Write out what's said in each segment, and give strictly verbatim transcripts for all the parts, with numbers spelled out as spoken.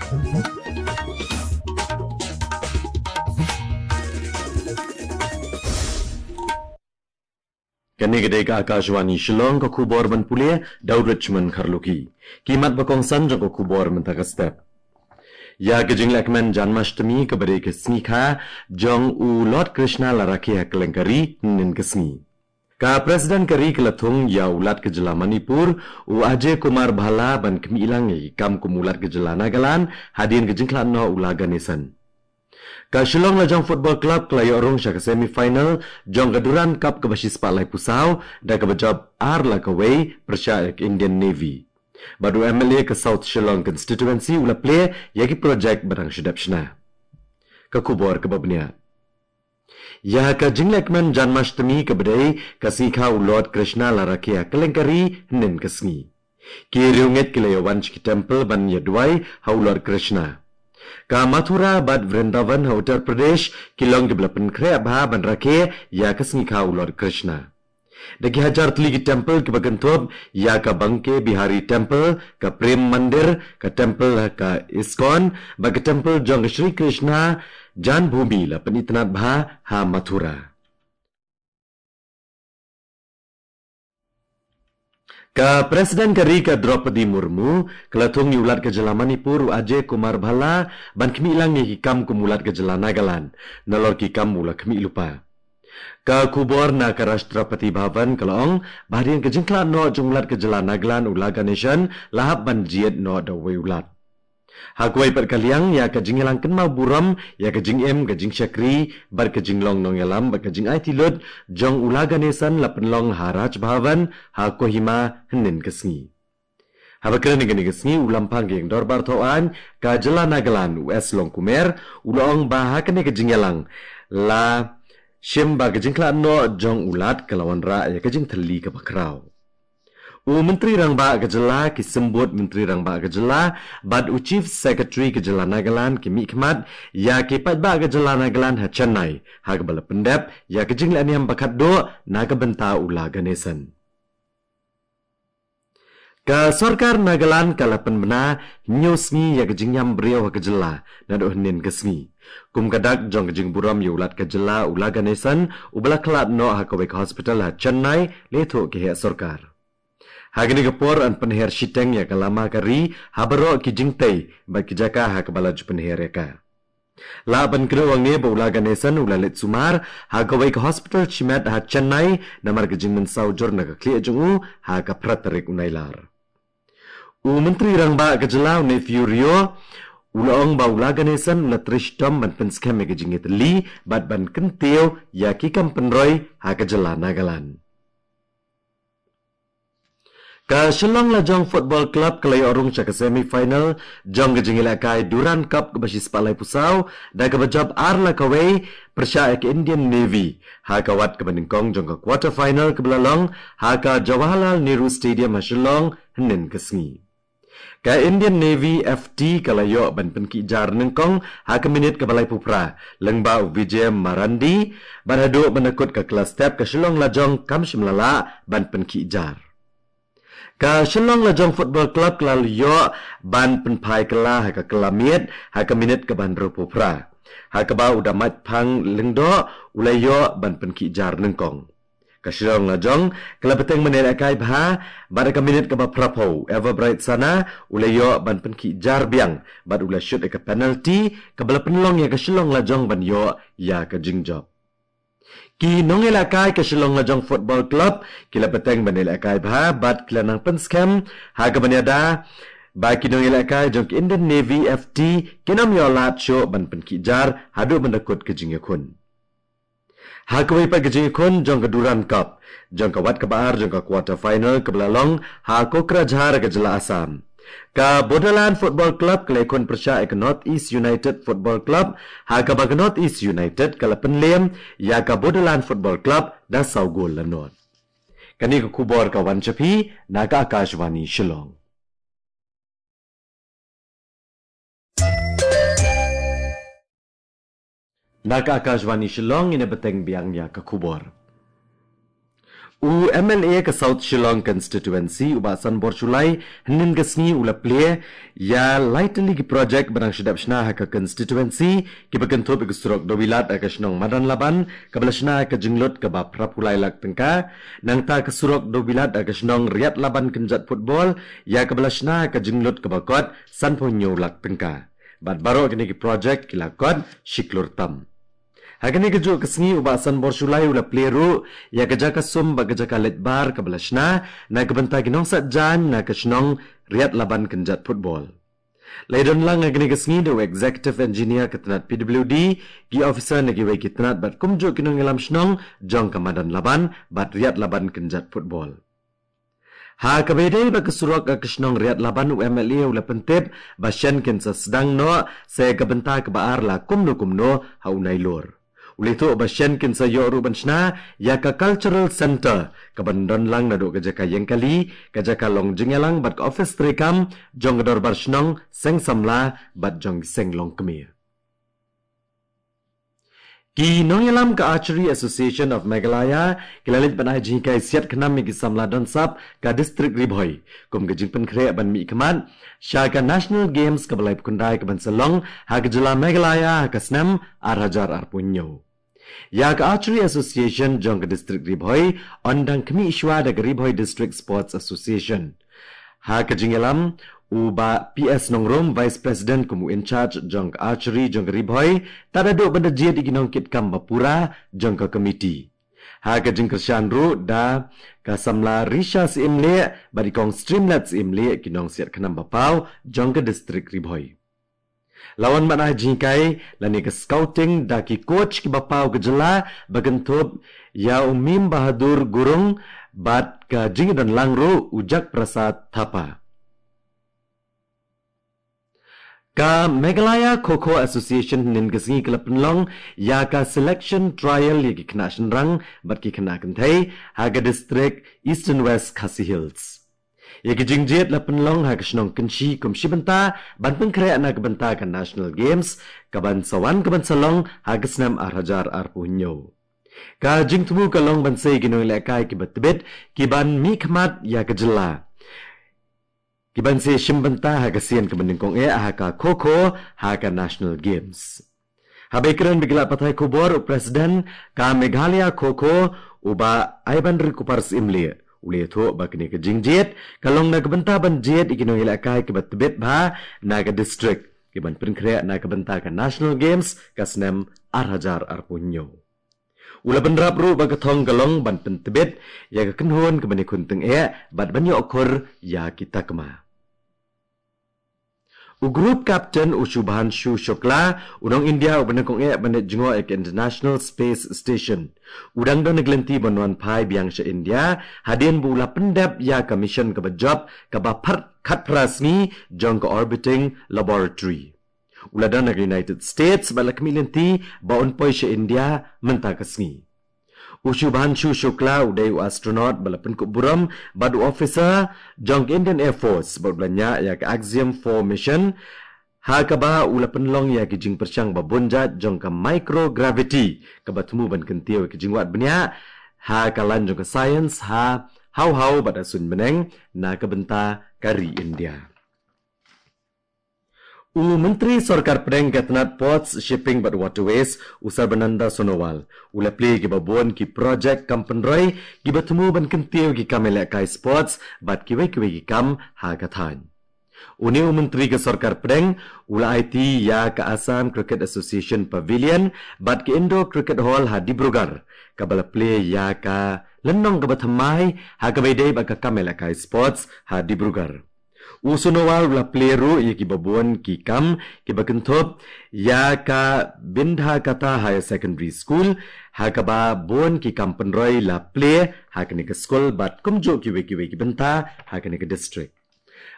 Kane ka dei ka Akashvani Shillong, ka khubor ban pule da u Richmond Kharlukhi. Ki mat ba kongsan jong ka khubor mynta ka step. Ïa ka jinglehkmen Janmashtami kaba dei ka sngi kha jong u Lord Krishna la rakhe ha kylleng ka ri hynnin ka sngi. Ka President ka ri ka la thung ïa u Lat ka jylla Manipur, u Ajay Kumar Bhalla ban khmih lang ïa ki kam kum u Lat ka jylla Nagaland hadien ka jingkhlad noh u La Ganesan. Ka Shillong Lajong Football Club ka la ïoh rung sha ka semi final jong ka Durand Cup kaba shispah laiphew saw da kaba jop ar la kawei pyrshah ïa ka Indian Navy. Bad u M L A ka South Shillong Constituency u la plie ïa ki project ba dang shu dep shna. Ka khubor kaba bniah. Ïa ka jinglehkmen Janmashtami kaba dei ka sngi kha u Lord Krishna la rakhe ha kylleng ka ri hynnin ka sngi. Ki riewngeit ki la ïa wan sha ki temple ban ïa duwai ha u Lord Krishna. Ka Mathura bad Vrindavan ha Uttar Pradesh ki long kiba la pynkhreh bha ban rakhe ïa ka sngi kha u Lord Krishna. Da ki hajar tylli ki temple kiba kynthup ïa ka Banke Bihari Temple, ka Prem Mandir, ka temple ka ISKCON bad ka temple jong ka Shri Krishna Janmabhoomi la pynitynnad bha ha Mathura. Ka President ka ri ka Droupadi Murmu ka la thung ïa u Lat ka jylla Manipur u Ajay Kumar Bhalla ban khmih lang ïa ki kam kum u Lat ka jylla Nagaland, nalor ki kam u la khmih lypa. Ka khubor na ka Rashtrapati Bhavan ka la ong ba hadien ka jingkhlad noh jong u Lat ka jylla Nagaland u La Ganesan la hap ban jied noh da uwei u Lat. Ha kawei pat ka liang, ïa ka jingïalang kynmaw burom ïa ka jingim, ka jingshakri bad ka jinglong nongïalam bad ka jingaiti lut jong u La Ganesan la pynlong ha Raj Bhavan ha Kohima hynnin ka sngi. Haba kren ha kane ka sngi u Lamphang ka ïing dorbar thaw aiñ ka jylla Nagaland u S Longkumer u la ong ba ha kane ka jingïalang la shim ba ka jingkhlad noh jong u Lat ka la wanrah ïa ka jingthylli kaba khraw. U Myntri Rangbah ka jylla, ki symbud Myntri Rangbah ka jylla bad u Chief Secretary ka jylla Nagaland ki mihkhmat ïa ki paidbah ka jylla Nagaland ha Chennai ha kaba la pyndep ïa ka jinglehniam ba khatduh na ka bynta u La Ganesan. Ka sorkar Nagaland ka la pynbna hynñiew sngi ïa ka jingïam briew ha ka jylla naduh hynnin ka sngi kum ka dak jong ka jingburom ïa u Lat ka jylla u La Ganesan uba la khlad noh ha kawei ka hospital ha Chennai, la ïathuh ki heh sorkar. Ha kane ka por yn pynher shiteng ïa ka lama ka ri ha baroh ki jingtei bad ki jaka ha kaba la ju pynher ïa ka. Lah ban kdew hangne ba u La Ganesan u la leit sumar ha kawei ka hospital shimet ha Chennai namar ka jingmynsaw jur na ka khlieh jong u ha ka phra tarik u Nailar. U Myntri Rangbah ka jylla u Neiphiu Rio u la ong ba u La Ganesan u la trei shitom ban pynskhem ïa ka jingïatylli bad ban kyntiew ïa ki kam pynroi ha ka jylla Nagaland. Ka Shillong Lajong Football Club ka la ïoh rung sha ka semi final jong ka jingïalehkai Durand Cup kaba shispah laiphew saw da kaba jop ar la kawei pyrshah ïa ka Indian Navy ha ka wat kaba nyngkong jong ka quarter final kaba la long ha ka Jawaharlal Nehru Stadium ha Shillong hynnin ka sngi. Ka Indian Navy F T ka la ïoh ban pynkhih jar nyngkong ha ka minit kaba laiphew phra lyngba u Vijay Marandi bad haduh ban da kut ka kylla step ka Shillong Lajong kam shym la lah ban pynkhih jar. Ka Shillong Lajong Football Club ka la ïoh ban pynphai kylla ha ka kylla miet ha ka minit kaba hynriewphew phra ha kaba u Damaitphang Lyngdoh u la ïoh ban pynkhih jar nyngkong. Ka Shillong Lajong ka la bteng ban ïalehkai bha bad ha ka minit kaba phraphew Everbright Sana u la ïoh ban pynkhih jar biang bad u la shut ïa ka penalty kaba la pynlong ïa ka Shillong Lajong ban ïoh ïa ka jingjop. Ki nongïalehkai ka Shillong Lajong Football Club ki la bteng ban ïalehkai bha bad ki la nang pynskhem ha kaba ïada ba ki nongïalehkai jong ka Indian Navy F T kin ym ïoh lad shuh ban pynkhih jar haduh ban da kut ka jingïakhun. Ha kawei pat ka jingïakhun jong ka Durand Cup jong ka wat kaba ar jong ka quarter final kaba la long ha Kokrajhar ka jylla Assam, ka Bodoland Football Club ka la ïakhun pyrshah ïa ka North East United Football Club ha kaba ka North East United ka la pynlem ïa ka Bodoland Football Club da saw gol la nod. Kane ka khubor ka wan sha phi na ka Akashvani Shillong. Na ka Akashvani Shillong ngin ïa bteng biang ïa ka khubor. U M L A ka South Shillong Constituency, u Bah Sanbor Shullai, hynnin ka sngi u la plie ïa lai tylli ki project ba dang shu dep shna ha ka constituency, kiba kynthup ïa ka surok Dewbilat ha ka shnong Madanlaban, kaba la shna ha ka jinglut kaba phra phew lai lak tyngka, nangta ka surok Dewbilat ha ka shnong Riatlaban Kynjat Football, ïa kaba la shna ha ka jinglut kaba kot san phew hynñiew lak tyngka. Bad baroh kine ki project ki la kot shi klur tam. Ha kane kajuh ka sngi u Bah Sanbor Shullai u la plie ruh ïa ka jaka sum bad ka jaka leit bar kaba la shna na ka bynta ki nongsaitjaiñ na ka shnong Riatlaban Kynjat Football. La ïadon lang ha kane ka sngi da u Executive Engineer ka tnat P W D, ki officer na kiwei ki tnat bad kumjuh ki nongïalam shnong jong ka Madanlaban bad Riatlaban Kynjat Football. Ha kaba ïadei bad ka surok ha ka shnong Riatlaban, u M L A u la pyntip ba shen kin sa sdang noh sa ïa ka bynta kaba ar la kumno kumno ha u Nailur. U la ïathuh ba shen kin sa ïoh ruh ban shna ïa ka Cultural Centre kaban don lang naduh ka jaka ïeng kali, ka jaka long jingïalang bad ka office treikam jong ka dorbar shnong, seng samla bad jong ki seng longkmie. Ki nongïalam ka Archery Association of Meghalaya ki la leit ban ai jinghikai siat khnam ïa ki samla don sap ka District Ri Bhoi kum ka jingpynkhreh ban mihkhmat sha ka National Games kaba laiphew khyndai kaban sa long ha ka jylla Meghalaya ha ka snem ar hajar arphew hynñiew. Ïa ka Archery Association jong ka District Ri Bhoi yn dang khmih shuwa da ka Ri Bhoi District Sports Association. Ha ka jingïalam, u Bah P S Nongrum, Vice President kum u in charge jong ka Archery jong ka Ri Bhoi, tad haduh ban da jied ïa ki nongkitkam ba pura jong ka committee. Ha ka jingkyrshan ruh da ka samla Risha Syiemlieh bad i kong Streamlet Syiemlieh, ki nongsiat khnam ba paw jong ka District Ri Bhoi. La wan ban ai jinghikai lane ka scouting da ki coach kiba paw ka jylla ba kynthup ïa u Mim Bahadur Gurung bad ka jingïadon lang ruh u Jak Prasad Thapa. Ka Meghalaya Kho Kho Association hynnin ka sngi ka la pynlong ïa ka selection trial ïa ki khynnah shynrang bad ki khynnah kynthei ha ka district Eastern West Khasi Hills. Ïa ki jingjied la pynlong ha ka shnong Kynshi kum shi bynta ban pynkhreh na ka bynta ka National Games kaban sa wan kaban sa long ha ka snem ar hajar arphew hynñiew. Ka jingthmu ka long ban sei ïa ki nongïalehkai kiba tbit kiban mihkhmat ïa ka jylla, kiban sa shim bynta ha ka sien kaba nyngkong eh ha ka Kho Kho ha ka National Games. Haba ïakren bad ki lad pathai khubor, u President ka Meghalaya Kho Kho, u Bah Aibanrikupar Syiemlieh, u la ïathuh ba kane ka jingjied ka long na ka bynta ban jied ïa ki nongïalehkai kiba tbit bha na ka district kiban pynkhreh na ka bynta ka National Games ka snem ar hajar arphew hynñiew. U la bynrap ruh ba ka thong ka long ban pyntbit ïa ka kynhun kaba nyngkong tyngeh bad ban ïoh khur ïa ki takma. U Group Captain, u Shubhanshu Shukla, u nong India uba nyngkong eh ban leit jngoh ïa ka International Space Station, u dang don ha ka lynti ban wan phai biang sha India hadien ba u la pyndep ïa ka mission kaba jop kaba phra, khatphra sngi jong ka Orbiting Laboratory. U la don ha ka United States bad la khmih lynti ba un poi sha India mynta ka sngi. U Shubhanshu Shukla u dei u astronaut ba la pynkup burom bad u officer jong ka Indian Air Force bad u la ñiah ïa ka Axiom four mission, ha kaba u la pynlong ïa ki jingpyrshang ba bun jait jong ka microgravity kaba thmu ban kyntiew ïa ki jingwad bniah ha ka lain jong ka science ha haw haw bad ha suiñ bneng na ka bynta ka ri India. U Myntri Sorkar Pdeng ka tnat Ports, Shipping bad Waterways, u Sarbananda Sonowal, u la plie ïa kiba bun ki project kam pynroi kiba thmu ban kyntiew ïa ki kam ïalehkai sports bad kiwei kiwei ki kam ha ka thaiñ. Une u Myntri ka Sorkar Pdeng u la aiti ïa ka Assam Cricket Association Pavilion bad ka Indoor Cricket Hall ha Dibrugarh, kaba la plie ïa ka lynnong kaba thymmai ha kaba ïadei bad ka kam ïalehkai sports ha Dibrugarh. U Sonowal u la plie ruh ïa kiba bun ki kam kiba kynthup ïa ka Bindhakatha Higher Secondary School, ha kaba bun ki kam pynroi la plie ha kane ka skul bad kumjuh kiwei kiwei ki bynta ha kane ka district.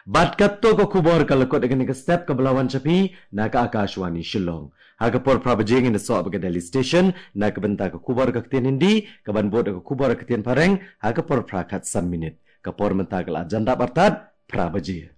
Bad kato ka khubor ka la kut ha kane ka step kaba la wan sha phi na ka Akashvani Shillong. Ha ka por phra baje ngin ïasoh bad ka Delhi Station na ka bynta ka khubor ka ktien Hindi, kaban bud ka khubor ka ktien Phareng ha ka por phra khatsan minit. Ka por mynta ka la jan dap artat phra baje.